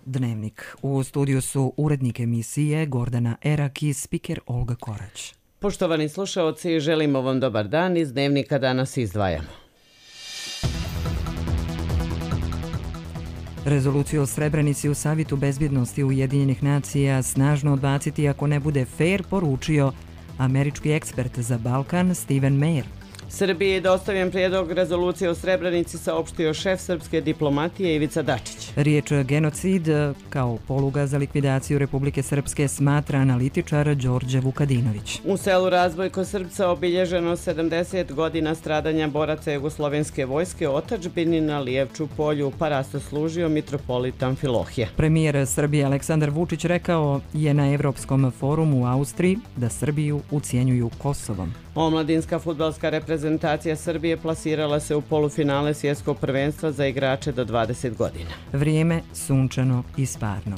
Dnevnik. U studiju su urednik emisije Gordana Erak i spiker Olga Korać. Poštovani slušaoci, želimo vam dobar dan. Iz Dnevnika danas izdvajamo. Rezoluciju o Srebrenici u Savetu bezbjednosti Ujedinjenih nacija snažno odbaciti ako ne bude fair, poručio američki ekspert za Balkan Stephen Meyer. Srbiji je dostavljen prijedlog rezolucije o Srebrenici, saopštio šef srpske diplomatije Ivica Dačić. Riječ genocid kao poluga za likvidaciju Republike Srpske smatra analitičar Đorđe Vukadinović. U selu Razboj kod Srpca obilježeno 70 godina stradanja boraca jugoslovenske vojske otadžbini na Lijevču polju, pa rasto služio mitropolit Amfilohije. Premijer Srbije Aleksandar Vučić rekao je na Evropskom forumu u Austriji da Srbiju ucijenjuju Kosovom. Omladinska fudbalska reprezentacija Srbije plasirala se u polufinale svjetskog prvenstva za igrače do 20 godina. Vrijeme sunčano i sparno.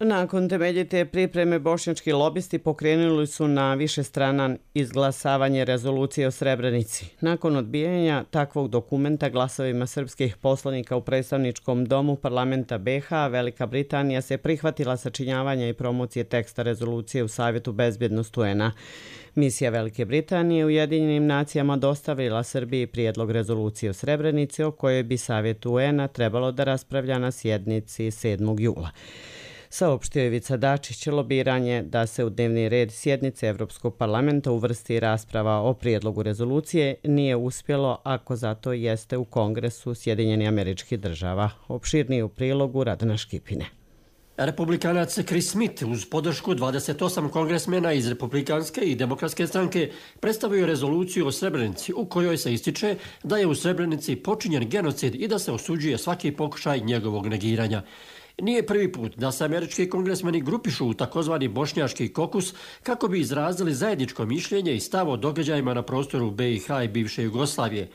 Nakon temeljite pripreme bošnjački lobisti pokrenuli su na višestranan izglasavanje rezolucije o Srebrenici. Nakon odbijanja takvog dokumenta glasovima srpskih poslanika u predstavničkom domu parlamenta BiH, Velika Britanija se prihvatila sačinjavanja i promocije teksta rezolucije u Savetu bezbjednosti UN-a. Misija Velike Britanije Ujedinjenim nacijama dostavila Srbiji prijedlog rezolucije o Srebrenici o kojoj bi Savet UN-a trebalo da raspravlja na sjednici 7. jula. Saopštio Ivica Dačić, lobiranje da se u dnevni red sjednice Evropskog parlamenta uvrsti rasprava o prijedlogu rezolucije nije uspjelo ako zato jeste u Kongresu Sjedinjenih Američkih Država. Opširnije u prilogu Radana Škipine. Republikanac Chris Smith uz podršku 28 kongresmena iz Republikanske i Demokratske stranke predstavio rezoluciju o Srebrenici u kojoj se ističe da je u Srebrenici počinjen genocid i da se osuđuje svaki pokušaj njegovog negiranja. Nije prvi put da se američki kongresmeni grupišu u takozvani bošnjaški kokus kako bi izrazili zajedničko mišljenje i stav o događajima na prostoru BiH i bivše Jugoslavije.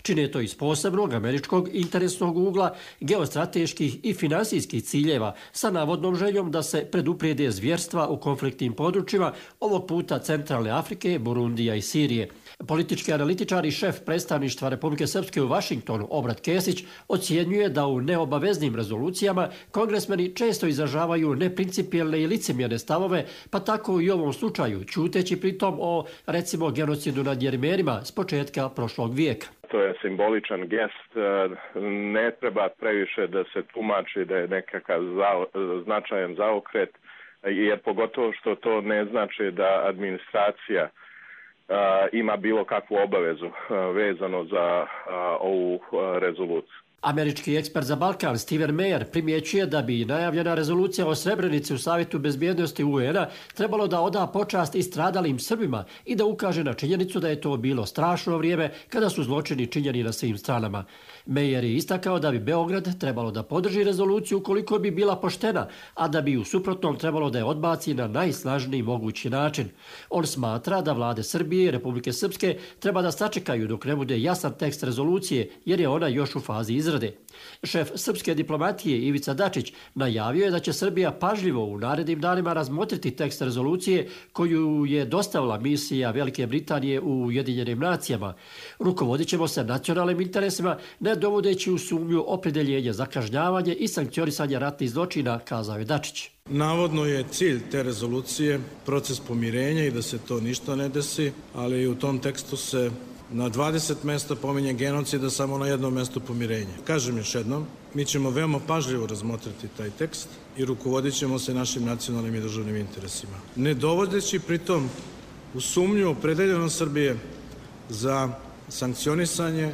Čine to iz posebnog američkog interesnog ugla, geostrateških i finansijskih ciljeva sa navodnom željom da se preduprijede zvjerstva u konfliktnim područjima, ovog puta Centralne Afrike, Burundija i Sirije. Politički analitičar i šef predstavništva Republike Srpske u Vašingtonu, Obrat Kesić, ocjenjuje da u neobaveznim rezolucijama kongresmeni često izražavaju neprincipijelne i licemjerne stavove, pa tako i u ovom slučaju, ćuteći pritom o, recimo, genocidu nad Jermenima s početka prošlog vijeka. To je simboličan gest, ne treba previše da se tumači da je nekakav značajan zaokret, jer pogotovo što to ne znači da administracija ima bilo kakvu obavezu vezano za ovu rezoluciju. Američki ekspert za Balkan Stephen Meyer primjećuje da bi najavljena rezolucija o Srebrenici u Savetu bezbjednosti UN-a trebalo da oda počast i stradalim Srbima i da ukaže na činjenicu da je to bilo strašno vrijeme kada su zločini činjeni na svim stranama. Meyer je istakao da bi Beograd trebalo da podrži rezoluciju ukoliko bi bila poštena, a da bi u suprotnom trebalo da je odbaci na najsnažniji mogući način. On smatra da vlade Srbije i Republike Srpske treba da sačekaju dok ne bude jasan tekst rezolucije, jer je ona još u fazi izrade. Šef srpske diplomatije Ivica Dačić najavio je da će Srbija pažljivo u narednim danima razmotriti tekst rezolucije koju je dostavila misija Velike Britanije u Ujedinjenim nacijama. Rukovodit ćemo se nacionalnim interesima, ne dovodeći u sumnju opredjeljenje za kažnjavanje i sankcionisanje ratnih zločina, kazao je Dačić. Navodno je cilj te rezolucije proces pomirenja i da se to ništa ne desi, ali u tom tekstu se na 20 mjesta pominje genocida, samo na jednom mjestu pomirenje. Kažem još jednom, mi ćemo veoma pažljivo razmotriti taj tekst i rukovodit ćemo se našim nacionalnim i državnim interesima. Ne dovodeći pritom u sumnju opredeljenost Srbije za sankcionisanje,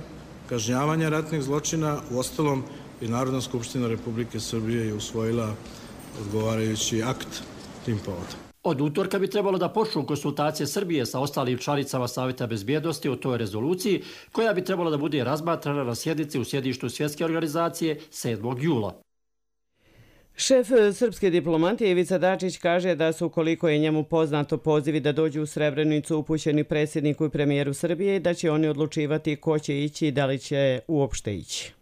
kažnjavanje ratnih zločina. Uostalom i Narodna skupština Republike Srbije je usvojila odgovarajući akt tim povodom. Od utorka bi trebalo da počnu konsultacije Srbije sa ostalim članicama Saveta bezbjednosti o toj rezoluciji, koja bi trebalo da bude razmatrana na sjednici u sjedištu Svjetske organizacije 7. jula. Šef srpske diplomatije Ivica Dačić kaže da su, koliko je njemu poznato, pozivi da dođu u Srebrenicu upućeni predsjedniku i premijeru Srbije i da će oni odlučivati ko će ići i da li će uopšte ići.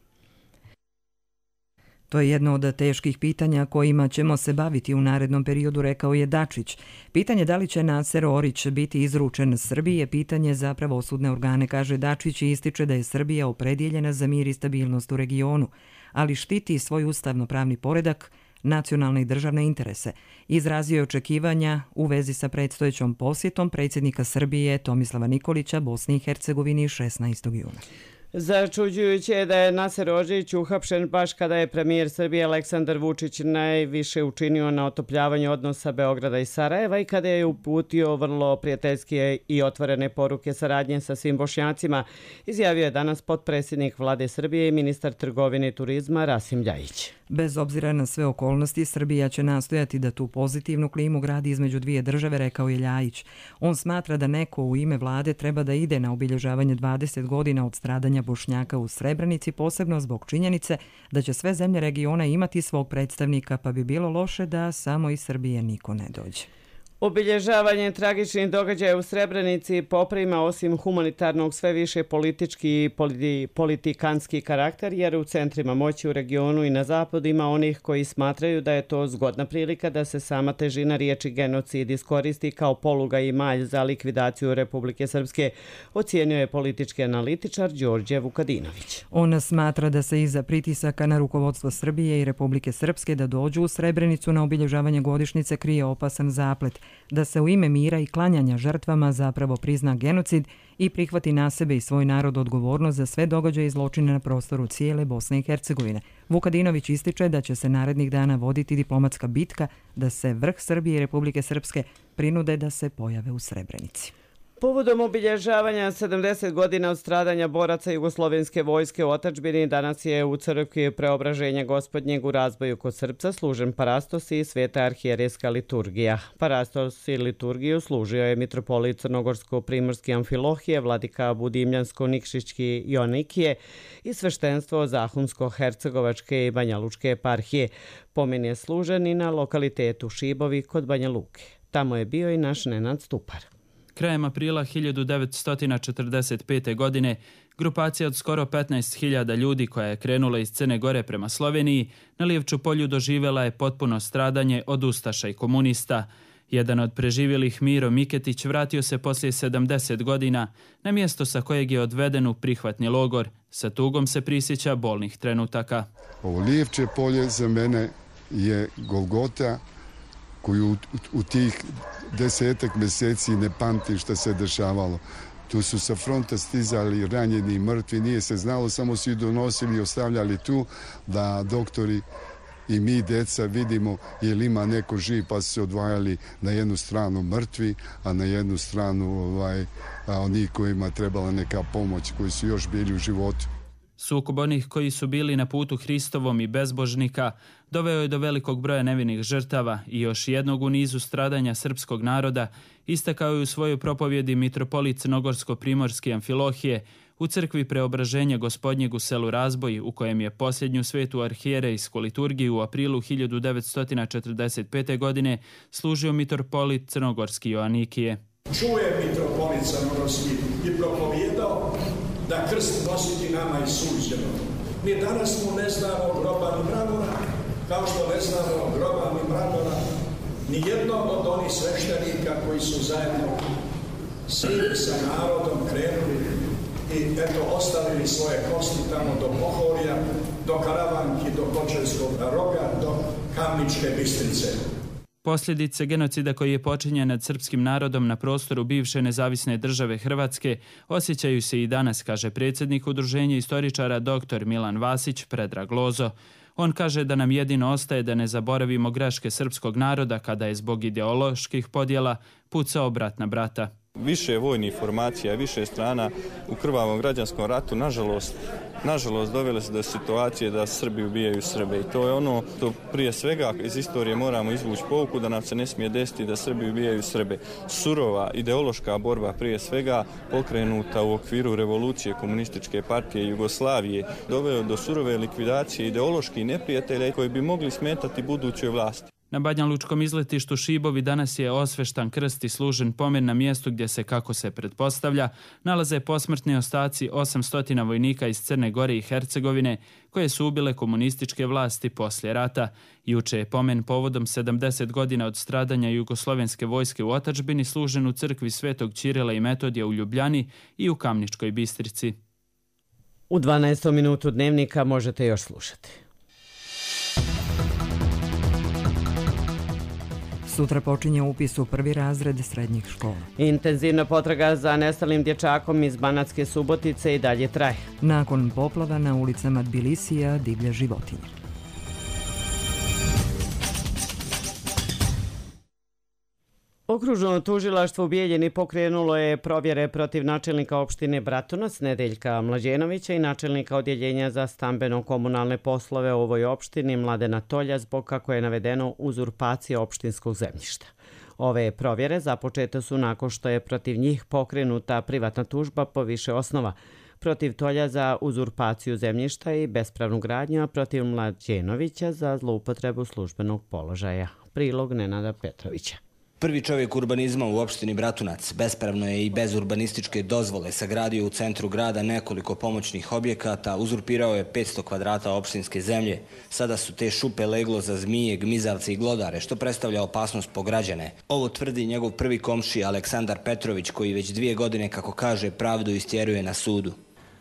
To je jedno od teških pitanja kojima ćemo se baviti u narednom periodu, rekao je Dačić. Pitanje da li će Naser Orić biti izručen Srbiji je pitanje za pravosudne organe, kaže Dačić i ističe da je Srbija opredjeljena za mir i stabilnost u regionu, ali štiti svoj ustavno-pravni poredak, nacionalne i državne interese. Izrazio je očekivanja u vezi sa predstojećom posjetom predsjednika Srbije Tomislava Nikolića Bosni i Hercegovini 16. juna. Začuđujuće je da je Naser Orić uhapšen baš kada je premijer Srbije Aleksandar Vučić najviše učinio na otopljavanju odnosa Beograda i Sarajeva i kada je uputio vrlo prijateljske i otvorene poruke saradnje sa svim Bošnjacima, izjavio je danas potpredsjednik Vlade Srbije i ministar trgovine i turizma Rasim Ljajić. Bez obzira na sve okolnosti, Srbija će nastojati da tu pozitivnu klimu gradi između dvije države, rekao je Ljajić. On smatra da neko u ime vlade treba da ide na obilježavanje 20 godina od stradanja Bošnjaka u Srebrenici, posebno zbog činjenice da će sve zemlje regiona imati svog predstavnika, pa bi bilo loše da samo iz Srbije niko ne dođe. Obilježavanje tragičnih događaja u Srebrenici poprima osim humanitarnog sve više politički i politikanski karakter, jer u centrima moći u regionu i na zapadu ima onih koji smatraju da je to zgodna prilika da se sama težina riječi genocid iskoristi kao poluga i malj za likvidaciju Republike Srpske, ocijenio je politički analitičar Đorđe Vukadinović. On smatra da se iza pritisaka na rukovodstvo Srbije i Republike Srpske da dođu u Srebrenicu na obilježavanje godišnjice krije opasan zaplet, da se u ime mira i klanjanja žrtvama zapravo prizna genocid i prihvati na sebe i svoj narod odgovornost za sve događaje i zločine na prostoru cijele Bosne i Hercegovine. Vukadinović ističe da će se narednih dana voditi diplomatska bitka da se vrh Srbije i Republike Srpske prinude da se pojave u Srebrenici. Povodom obilježavanja 70 godina od stradanja boraca Jugoslovenske vojske u otadžbini, danas je u crkvi Preobraženja Gospodnjeg u Razboju kod Srpca služen parastos i sveta arhijerejska liturgija. Parastos i liturgiju služio je mitropolit Crnogorsko-Primorski Amfilohije, vladika Budimljansko-Nikšićki Joanikije i sveštenstvo Zahumsko-Hercegovačke i Banjalučke eparhije. Pomen je služen i na lokalitetu Šibovi kod Banja Luke. Tamo je bio i naš Nenad Stupar. Krajem aprila 1945. godine grupacija od skoro 15.000 ljudi koja je krenula iz Crne Gore prema Sloveniji na Lijevču polju doživjela je potpuno stradanje od ustaša i komunista. Jedan od preživjelih, Miro Miketić, vratio se poslije 70 godina na mjesto sa kojeg je odveden u prihvatni logor. Sa tugom se prisjeća bolnih trenutaka. Ovo Lijevče polje za mene je Golgota koju u tih 10 mjeseci ne pamtim što se dešavalo. Tu su sa fronta stizali ranjeni i mrtvi, nije se znalo, samo su ih donosili i ostavljali tu da doktori i mi, djeca, vidimo je li ima neko živ, pa su se odvajali na jednu stranu mrtvi, a na jednu stranu oni kojima trebala neka pomoć, koji su još bili u životu. Sukob onih koji su bili na putu Hristovom i bezbožnika doveo je do velikog broja nevinih žrtava i još jednog u nizu stradanja srpskog naroda, istakao je u svojoj propovjedi mitropolit Crnogorsko-Primorski Amfilohije u crkvi Preobraženja Gospodnjeg u selu Razboj, u kojem je posljednju svetu arhijerejsku liturgiju u aprilu 1945. godine služio mitropolit Crnogorski Joanikije. Čuje mitropolit Crnogorski i propovjedao da krst nositi nama i suđeno. Mi danas mu ne znamo groba ni mramora, kao što ne znamo groba ni mramora ni jednog od onih sveštenika koji su zajedno sa narodom krenuli i ostavili svoje kosti tamo do Pohorja, do Karavanki, do Kočevskog roga, do Kamničke Bistrice. Posljedice genocida koji je počinjen nad srpskim narodom na prostoru bivše nezavisne države Hrvatske osjećaju se i danas, kaže predsjednik Udruženja istoričara dr. Milan Vasić Predrag Lozo. On kaže da nam jedino ostaje da ne zaboravimo greške srpskog naroda kada je zbog ideoloških podjela pucao brat na brata. Više vojnih formacija, više strana u krvavom građanskom ratu, nažalost dovele se do situacije da Srbi ubijaju Srbe. I to je ono što prije svega iz istorije moramo izvući pouku, da nam se ne smije desiti da Srbi ubijaju Srbe. Surova ideološka borba prije svega pokrenuta u okviru revolucije Komunističke partije Jugoslavije doveo do surove likvidacije ideoloških neprijatelja koji bi mogli smetati budućoj vlasti. Na Banjalučkom izletištu Šibovi danas je osveštan krst i služen pomen na mjestu gdje se, kako se pretpostavlja, nalaze posmrtni ostaci 800 vojnika iz Crne Gore i Hercegovine koje su ubile komunističke vlasti poslije rata. Juče je pomen povodom 70 godina od stradanja jugoslovenske vojske u otadžbini služen u crkvi Svetog Ćirila i Metodija u Ljubljani i u Kamničkoj Bistrici. U 12. minutu dnevnika možete još slušati. Sutra počinje upis u prvi razred srednjih škola. Intenzivna potraga za nestalim dječakom iz Banatske Subotice i dalje traje. Nakon poplava na ulicama Tbilisija divlje životinje. Okružno tužilaštvo u Bijeljini pokrenulo je provjere protiv načelnika opštine Bratunac Nedeljka Mlađenovića i načelnika odjeljenja za stambeno-komunalne poslove u ovoj opštini Mladena Tolja zbog, kako je navedeno, uzurpacije opštinskog zemljišta. Ove provjere započete su nakon što je protiv njih pokrenuta privatna tužba po više osnova. Protiv Tolja za uzurpaciju zemljišta i bespravnu gradnju, a protiv Mlađenovića za zloupotrebu službenog položaja. Prilog Nenada Petrovića. Prvi čovjek urbanizma u opštini Bratunac bespravno je i bez urbanističke dozvole sagradio u centru grada nekoliko pomoćnih objekata, uzurpirao je 500 kvadrata opštinske zemlje. Sada su te šupe leglo za zmije, gmizavce i glodare, što predstavlja opasnost po građane. Ovo tvrdi njegov prvi komšija Aleksandar Petrović, koji već 2 godine, kako kaže, pravdu istjeruje na sudu.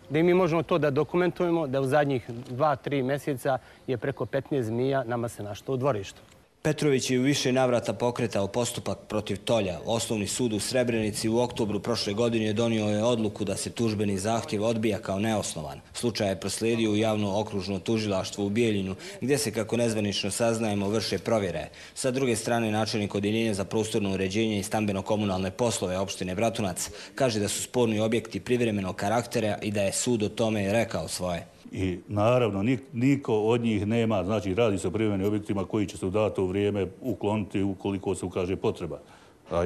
Da mi možemo to da dokumentujemo, da u zadnjih 2-3 mjeseca je preko 15 zmija nama se našlo u dvorištu. Petrović je u više navrata pokretao postupak protiv Tolja. Osnovni sud u Srebrenici u oktobru prošle godine donio je odluku da se tužbeni zahtjev odbija kao neosnovan. Slučaj je proslijedio u javno okružno tužilaštvo u Bijeljinu, gdje se, kako nezvanično saznajemo, vrše provjere. Sa druge strane, načelnik odjeljenja za prostorno uređenje i stambeno-komunalne poslove opštine Bratunac kaže da su sporni objekti privremenog karaktera i da je sud o tome rekao svoje. I naravno, niko od njih nema, znači radi se o privremenim objektima koji će se u dato vrijeme ukloniti ukoliko se ukaže potreba.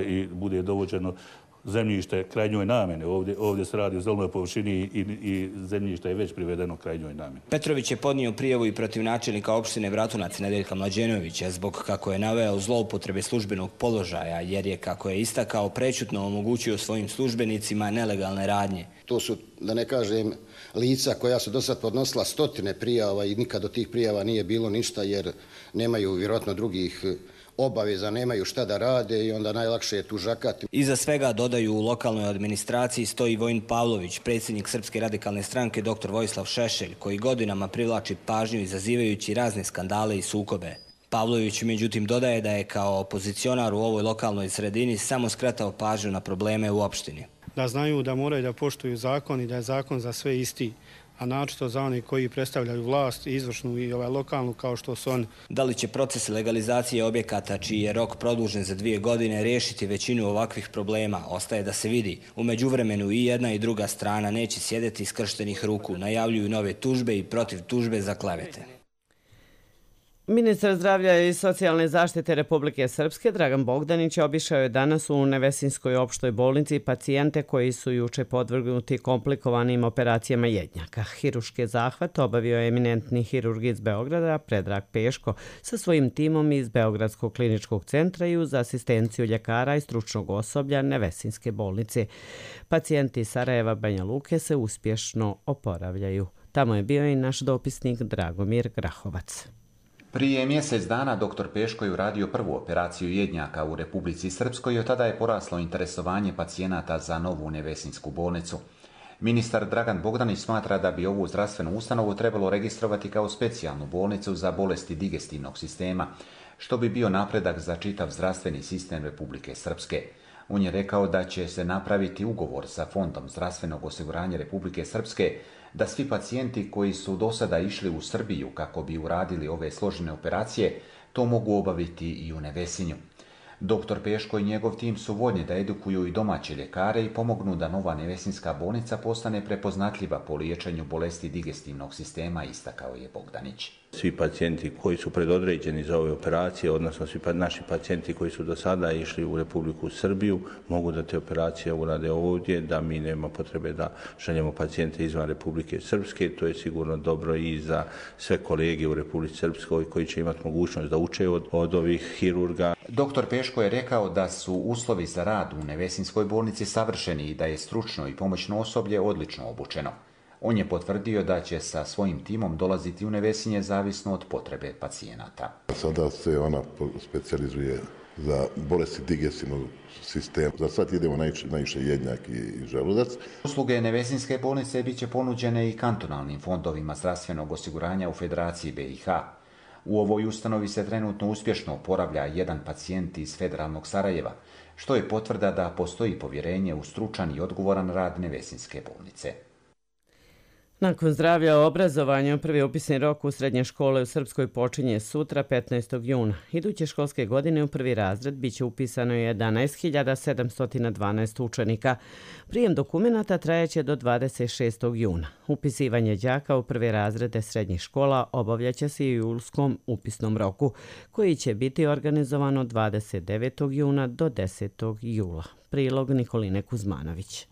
I bude dovođeno zemljište krajnjoj namjene. Ovdje se radi o zelenoj površini i zemljište je već privedeno krajnjoj namjeni. Petrović je podnio prijavu i protiv načelnika opštine Bratunac Nedeljka Mlađenovića zbog, kako je naveo, zloupotrebe službenog položaja, jer je, kako je istakao, prečutno omogućio svojim službenicima nelegalne radnje. To su, da ne kažem, lica koja su do sad podnosila 100 prijava i nikad od tih prijava nije bilo ništa jer nemaju vjerojatno drugih obaveza, nemaju šta da rade i onda najlakše je tužakati. Iza svega, dodaju, u lokalnoj administraciji stoji Vojin Pavlović, predsjednik Srpske radikalne stranke dr. Vojislav Šešelj, koji godinama privlači pažnju izazivajući razne skandale i sukobe. Pavlović međutim dodaje da je kao opozicionar u ovoj lokalnoj sredini samo skretao pažnju na probleme u opštini. Da znaju da moraju da poštuju zakon i da je zakon za sve isti, a naročito za one koji predstavljaju vlast, izvršnu i lokalnu kao što su oni. Da li će proces legalizacije objekata, čiji je rok produžen za 2 godine, riješiti većinu ovakvih problema, ostaje da se vidi. U međuvremenu i jedna i druga strana neće sjedeti skrštenih ruku, najavljuju nove tužbe i protiv tužbe za klevete. Ministar zdravlja i socijalne zaštite Republike Srpske Dragan Bogdanić obišao je danas u Nevesinskoj opštoj bolnici pacijente koji su juče podvrgnuti komplikovanim operacijama jednjaka. Hiruške zahvate obavio je eminentni hirurg iz Beograda Predrag Peško sa svojim timom iz Beogradskog kliničkog centra i uz asistenciju ljekara i stručnog osoblja Nevesinske bolnice. Pacijenti iz Sarajeva, Banja Luke se uspješno oporavljaju. Tamo je bio i naš dopisnik Dragomir Grahovac. Prije mjesec dana dr. Peško je uradio prvu operaciju jednjaka u Republici Srpskoj i od tada je poraslo interesovanje pacijenata za novu Nevesinsku bolnicu. Ministar Dragan Bogdanić smatra da bi ovu zdravstvenu ustanovu trebalo registrovati kao specijalnu bolnicu za bolesti digestivnog sistema, što bi bio napredak za čitav zdravstveni sistem Republike Srpske. On je rekao da će se napraviti ugovor sa Fondom zdravstvenog osiguranja Republike Srpske da svi pacijenti koji su do sada išli u Srbiju kako bi uradili ove složene operacije, to mogu obaviti i u Nevesinju. Dr. Peško i njegov tim su voljni da edukuju i domaće ljekare i pomognu da nova Nevesinska bolnica postane prepoznatljiva po liječenju bolesti digestivnog sistema, istakao je Bogdanić. Svi pacijenti koji su predodređeni za ove operacije, odnosno svi naši pacijenti koji su do sada išli u Republiku Srbiju, mogu da te operacije urade ovdje, da mi nema potrebe da šaljemo pacijente izvan Republike Srpske. To je sigurno dobro i za sve kolege u Republici Srpskoj koji će imati mogućnost da uče od ovih hirurga. Doktor Peško je rekao da su uslovi za rad u Nevesinskoj bolnici savršeni i da je stručno i pomoćno osoblje odlično obučeno. On je potvrdio da će sa svojim timom dolaziti u Nevesinje zavisno od potrebe pacijenata. Sada se ona specijalizuje za bolesti digestivnog sistema. Za sad idemo najviše jednjak i želudac. Usluge Nevesinske bolnice bit će ponuđene i kantonalnim fondovima zdravstvenog osiguranja u Federaciji BiH. U ovoj ustanovi se trenutno uspješno oporavlja jedan pacijent iz federalnog Sarajeva, što je potvrda da postoji povjerenje u stručan i odgovoran rad Nevesinske bolnice. Nakon zdravlja i obrazovanja, prvi upisni rok u srednje škole u Srpskoj počinje sutra, 15. juna. Iduće školske godine u prvi razred biće upisano 11.712 učenika. Prijem dokumenata trajeće do 26. juna. Upisivanje đaka u prve razrede srednjih škola obavljaće se i u julskom upisnom roku, koji će biti organizovan od 29. juna do 10. jula. Prilog Nikoline Kuzmanović.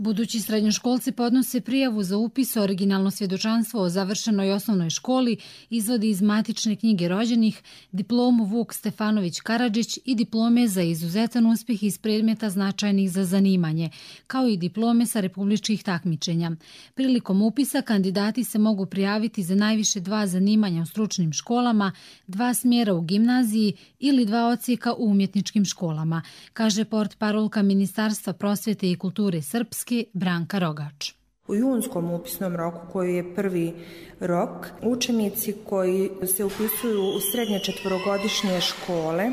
Budući srednjoškolci podnose prijavu za upis, originalno svjedočanstvo o završenoj osnovnoj školi, izvodi iz matične knjige rođenih, diplomu Vuk Stefanović Karadžić i diplome za izuzetan uspjeh iz predmeta značajnih za zanimanje, kao i diplome sa republičkih takmičenja. Prilikom upisa kandidati se mogu prijaviti za najviše 2 zanimanja u stručnim školama, 2 smjera u gimnaziji ili 2 odsjeka u umjetničkim školama, kaže portparolka Ministarstva prosvjete i kulture Srpske Branka Rogač. U junskom upisnom roku, koji je prvi rok, učenici koji se upisuju u srednje četvorogodišnje škole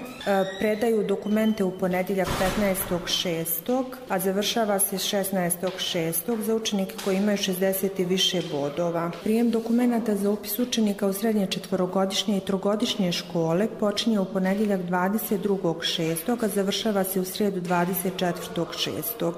predaju dokumente u ponedjeljak 15.6., a završava se 16.6. za učenike koji imaju 60 i više bodova. Prijem dokumenata za upis učenika u srednje četvorogodišnje i trogodišnje škole počinje u ponedjeljak 22.6., a završava se u srijedu 24.6.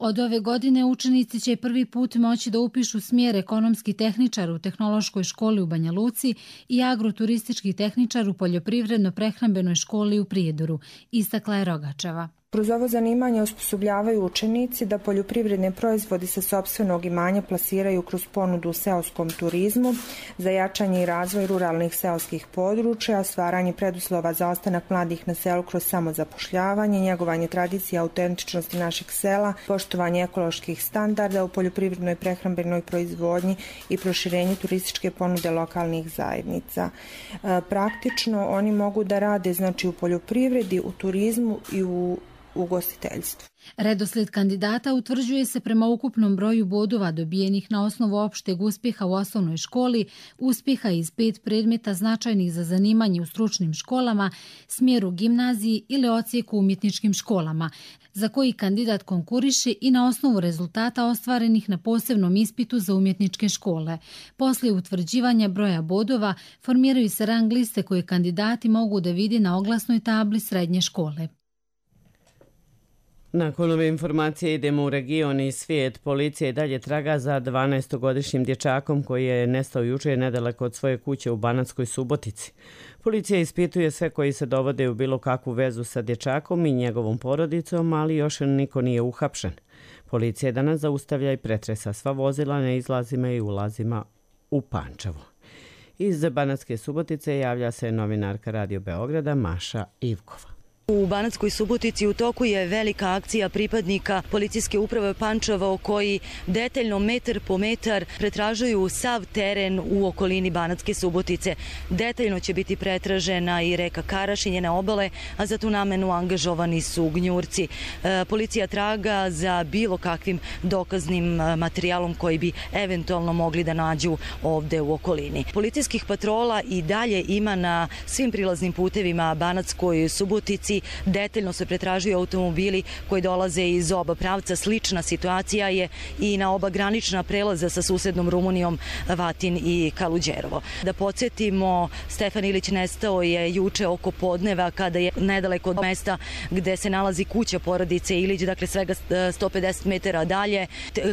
Od ove godine učenici će prvi put moći da upišu smjer ekonomski tehničar u Tehnološkoj školi u Banja Luci i agroturistički tehničar u Poljoprivredno-prehrambenoj školi u Prijedoru, istakla je Rogačeva. Kroz ovo zanimanje osposobljavaju učenici da poljoprivredne proizvodi sa sopstvenog imanja plasiraju kroz ponudu u seoskom turizmu, za jačanje i razvoj ruralnih seoskih područja, stvaranje preduslova za ostanak mladih na selu kroz samozapošljavanje, njegovanje tradicije i autentičnosti našeg sela, poštovanje ekoloških standarda u poljoprivrednoj prehrambenoj proizvodnji i proširenje turističke ponude lokalnih zajednica. Praktično oni mogu da rade u poljoprivredi, u turizmu i u ugostiteljstvu. Redoslijed kandidata utvrđuje se prema ukupnom broju bodova dobijenih na osnovu opšteg uspjeha u osnovnoj školi, uspjeha iz 5 predmeta značajnih za zanimanje u stručnim školama, smjeru gimnaziji ili odsjeku u umjetničkim školama, za koji kandidat konkuriše i na osnovu rezultata ostvarenih na posebnom ispitu za umjetničke škole. Poslije utvrđivanja broja bodova formiraju se rang liste koje kandidati mogu da vide na oglasnoj tabli srednje škole. Nakon ove informacije idemo u region i svijet. Policija i dalje traga za 12-godišnjim dječakom koji je nestao jučer nedaleko od svoje kuće u Banatskoj Subotici. Policija ispituje sve koji se dovode u bilo kakvu vezu sa dječakom i njegovom porodicom, ali još niko nije uhapšen. Policija danas zaustavlja i pretresa sva vozila na izlazima i ulazima u Pančevo. Iz Banatske Subotice javlja se novinarka Radio Beograda Maša Ivkova. U Banatskoj Subotici u toku je velika akcija pripadnika policijske uprave Pančevo koji detaljno metar po metar pretražuju sav teren u okolini Banatske Subotice. Detaljno će biti pretražena i reka Karaš i njene obale, a za tu namenu angažovani su gnjurci. Policija traga za bilo kakvim dokaznim materijalom koji bi eventualno mogli da nađu ovde u okolini. Policijskih patrola i dalje ima na svim prilaznim putevima Banatskoj Subotici detaljno se pretražuju automobili koji dolaze iz oba pravca. Slična situacija je i na oba granična prelaza sa susednom Rumunijom, Vatin i Kaluđerovo. Da podsjetimo, Stefan Ilić nestao je juče oko podneva kada je nedaleko od mesta gde se nalazi kuća porodice Ilić, dakle svega 150 metara dalje,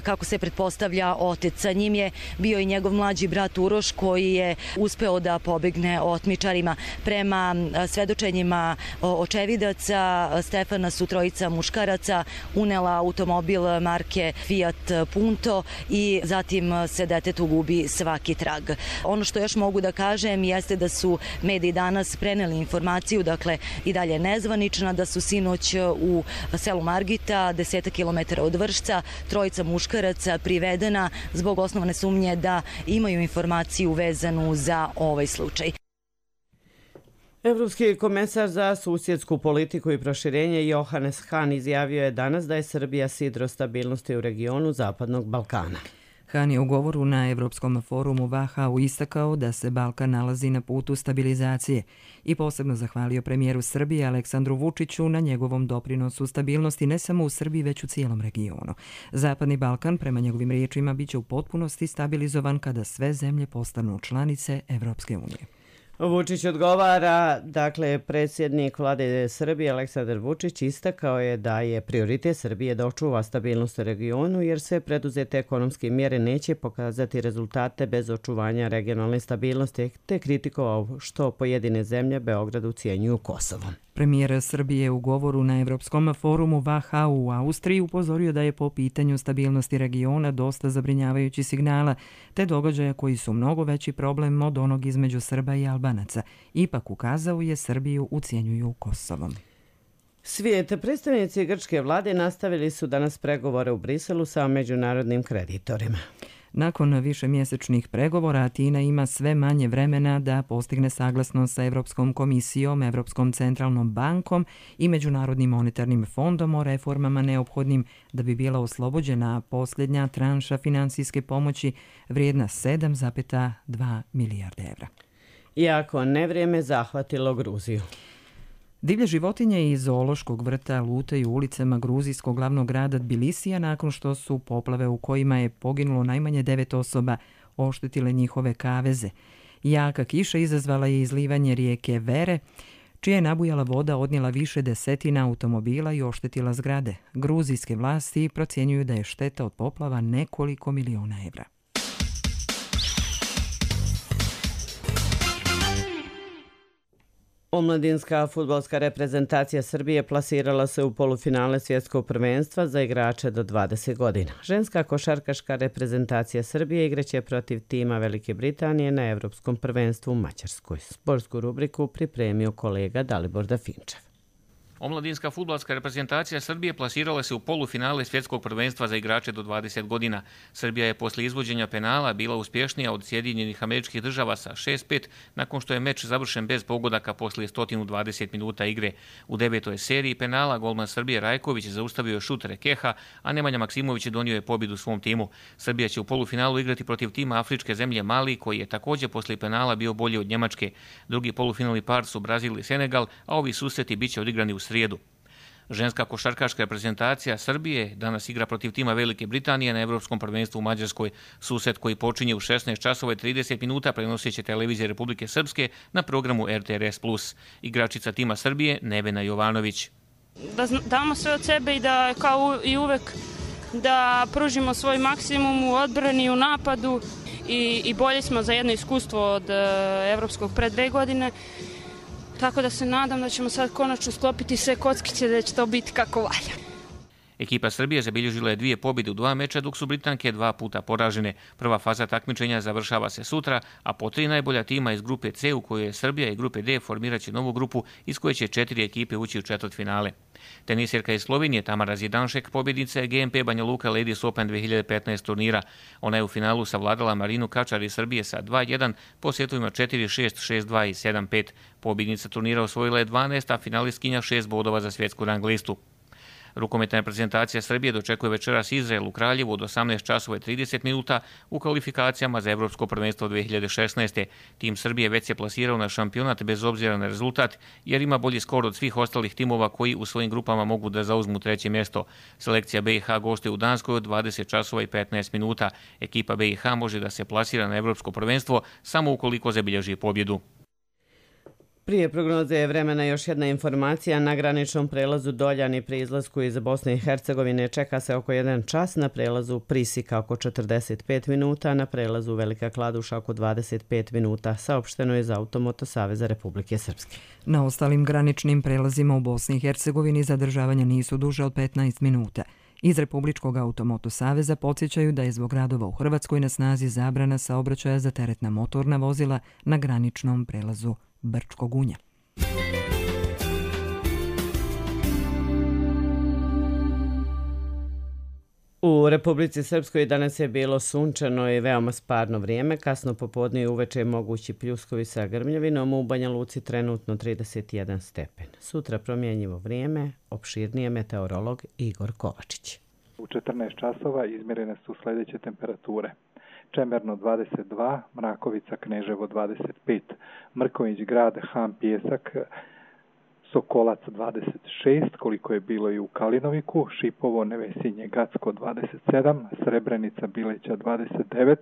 kako se pretpostavlja otec. Sa njim je bio i njegov mlađi brat Uroš koji je uspeo da pobegne otmičarima. Prema svedočenjima očevidaca, Stefana su trojica muškaraca unela automobil marke Fiat Punto i zatim se detetu gubi svaki trag. Ono što još mogu da kažem jeste da su mediji danas preneli informaciju, dakle i dalje nezvanična, da su sinoć u selu Margita, 10 km od Vršca, trojica muškaraca privedena zbog osnovne sumnje da imaju informaciju vezanu za ovaj slučaj. Evropski komesar za susjedsku politiku i proširenje Johannes Hahn izjavio je danas da je Srbija sidro stabilnosti u regionu Zapadnog Balkana. Hahn je u govoru na Evropskom forumu VHU istakao da se Balkan nalazi na putu stabilizacije i posebno zahvalio premijeru Srbije Aleksandru Vučiću na njegovom doprinosu stabilnosti ne samo u Srbiji već u cijelom regionu. Zapadni Balkan, prema njegovim riječima, biće u potpunosti stabilizovan kada sve zemlje postanu članice Evropske unije. Vučić odgovara, dakle, predsjednik vlade Srbije Aleksandar Vučić istakao je da je prioritet Srbije da očuva stabilnost u regionu jer sve preduzete ekonomske mjere neće pokazati rezultate bez očuvanja regionalne stabilnosti, te kritikovao što pojedine zemlje Beograd ucijenjuju Kosovom. Premijer Srbije u govoru na Evropskom forumu VHU u Austriji upozorio da je po pitanju stabilnosti regiona dosta zabrinjavajući signala, te događaja koji su mnogo veći problem od onog između Srba i Albanaca. Ipak ukazao je Srbiju ucijenjuju Kosovom. Svijet, predstavnici grčke vlade nastavili su danas pregovore u Briselu sa međunarodnim kreditorima. Nakon višemjesečnih pregovora, Atina ima sve manje vremena da postigne saglasnost sa Evropskom komisijom, Evropskom centralnom bankom i Međunarodnim monetarnim fondom o reformama neophodnim da bi bila oslobođena posljednja tranša finansijske pomoći vrijedna 7,2 milijarde evra. Iako nevrijeme zahvatilo Gruziju. Divlje životinje iz zoološkog vrta lutaju ulicama gruzijskog glavnog grada Tbilisija nakon što su poplave u kojima je poginulo najmanje 9 osoba oštetile njihove kaveze. Jaka kiša izazvala je izlivanje rijeke Vere, čija je nabujala voda odnijela više desetina automobila i oštetila zgrade. Gruzijske vlasti procjenjuju da je šteta od poplava nekoliko miliona evra. Omladinska fudbalska reprezentacija Srbije plasirala se u polufinale svjetskog prvenstva za igrače do 20 godina. Ženska košarkaška reprezentacija Srbije igraće protiv tima Velike Britanije na Evropskom prvenstvu u Mađarskoj. Sportsku rubriku pripremio kolega Dalibor Dafinčev. Omladinska fudbalska reprezentacija Srbije plasirala se u polufinale svjetskog prvenstva za igrače do 20 godina. Srbija je posle izvođenja penala bila uspješnija od Sjedinjenih Američkih Država sa 6-5 nakon što je meč završen bez pogodaka posle 120 minuta igre. U 9. seriji penala golman Srbije Rajković zaustavio šut Rekeha, a Nemanja Maksimović donio je pobjedu svom timu. Srbija će u polufinalu igrati protiv tima afričke zemlje Mali, koji je također posle penala bio bolji od Njemačke. Drugi polufinalni par su Brazil i Senegal, a ovi susreti biće odigrani u srijedu. Ženska košarkaška reprezentacija Srbije danas igra protiv tima Velike Britanije na Evropskom prvenstvu u Mađarskoj. Susret koji počinje u 16 časova i 30 minuta prenosit će televizija Republike Srpske na programu RTRS+. Igračica tima Srbije Nevena Jovanović. Da damo sve od sebe i da kao i uvek da pružimo svoj maksimum u odbrani i u napadu i bolje smo za jedno iskustvo od evropskog pre 2 godine. Tako da se nadam da ćemo sad konačno sklopiti sve kockice da će to biti kako valja. Ekipa Srbije zabilježila je 2 pobjede u 2 meča, dok su Britanke 2 puta poražene. Prva faza takmičenja završava se sutra, a po 3 najbolja tima iz grupe C u kojoj je Srbija i grupe D formirat će novu grupu iz koje će 4 ekipe ući u četvrtfinale. Tenisirka iz Slovenije Tamara Zidanšek pobjednica je GMP Banja Luka Ladies Open 2015 turnira. Ona je u finalu savladala Marinu Kačar iz Srbije sa 2-1 po setovima 4-6, 6-2 i 7-5. Pobjednica turnira osvojila je 12, a finalistkinja 6 bodova za svjetsku rang listu. Rukometna reprezentacija Srbije dočekuje večeras Izrael u Kraljevu od 18:30 minuta u kvalifikacijama za Evropsko prvenstvo 2016. Tim Srbije već se plasirao na šampionat bez obzira na rezultat, jer ima bolji skor od svih ostalih timova koji u svojim grupama mogu da zauzmu treće mjesto. Selekcija BiH gostuje u Danskoj od 20:15 minuta. Ekipa BiH može da se plasira na Evropsko prvenstvo samo ukoliko zabilježi pobjedu. Prije prognoze vremena još jedna informacija. Na graničnom prelazu Doljani pri izlasku iz Bosne i Hercegovine čeka se oko 1 čas, na prelazu Prisika oko 45 minuta, na prelazu Velika Kladuša oko 25 minuta, saopšteno je za Automoto Saveza Republike Srpske. Na ostalim graničnim prelazima u Bosni i Hercegovini zadržavanja nisu duže od 15 minuta. Iz Republičkog Automoto Saveza podsjećaju da je zbog radova u Hrvatskoj na snazi zabrana saobraćaja za teretna motorna vozila na graničnom prelazu Brčko Gunja. U Republici Srpskoj danas je bilo sunčano i veoma sparno vrijeme. Kasno popodne i uveče mogući pljuskovi sa grmljavinom, u Banja Luci trenutno 31 stepen. Sutra promjenjivo vrijeme, opširnije meteorolog Igor Kovačić. U 14 časova izmjerene su sljedeće temperature. Čemerno 22, Mrakovica Kneževo 25, Mrković Grad Han Pjesak Sokolac 26, koliko je bilo i u Kalinoviku, Šipovo Nevesinje Gacko 27, Srebrenica Bileća 29,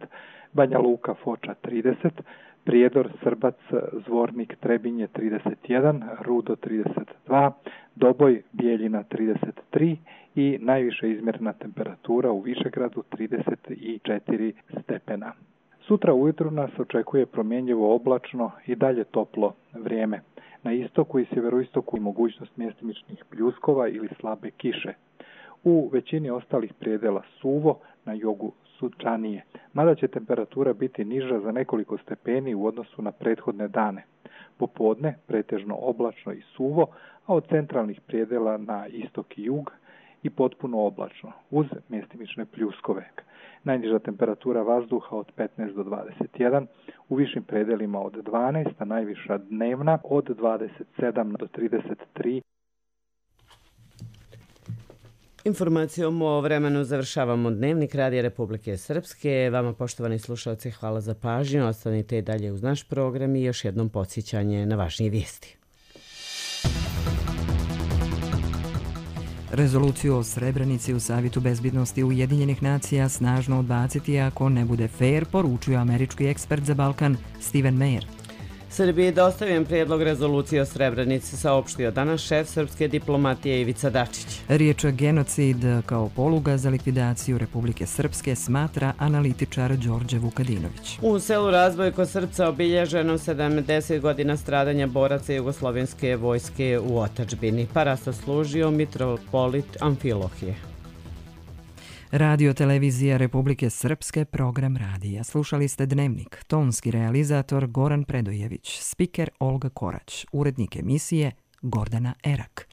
Banja Luka Foča 30, Prijedor Srbac Zvornik Trebinje 31, Rudo 32, Doboj Bijeljina 33 i najviše izmjerena temperatura u Višegradu 34 stepena. Sutra ujutru nas očekuje promjenjivo oblačno i dalje toplo vrijeme. Na istoku i sjeveroistoku mogućnost mjestimičnih pljuskova ili slabe kiše. U većini ostalih predela suvo, na jugu sunčanije, mada će temperatura biti niža za nekoliko stepeni u odnosu na prethodne dane. Popodne pretežno oblačno i suvo, a od centralnih predela na istok i jug i potpuno oblačno, uz mjestimične pljuskove. Najniža temperatura vazduha od 15 do 21, u višim predelima od 12, a najviša dnevna od 27 do 33. Informacijom o vremenu završavamo Dnevnik Radija Republike Srpske. Vama, poštovani slušalci, hvala za pažnju. Ostanite i dalje uz naš program i još jednom podsjećanje na važnije vijesti. Rezoluciju o Srebrenici u Savjetu bezbednosti Ujedinjenih nacija snažno odbaciti ako ne bude fair, poručuje američki ekspert za Balkan Steven Meyer. Srbiji je dostavljen prijedlog rezolucije o Srebrenici, saopštio danas šef srpske diplomatije Ivica Dačić. Riječ genocid kao poluga za likvidaciju Republike Srpske smatra analitičar Đorđe Vukadinović. U selu Razboj kod Srpca obilježeno 70 godina stradanja boraca jugoslovenske vojske u otadžbini. Parasta služio mitropolit Amfilohije. Radio televizija Republike Srpske, program radija. Slušali ste Dnevnik. Tonski realizator Goran Predojević, spiker Olga Korać, urednik emisije Gordana Erak.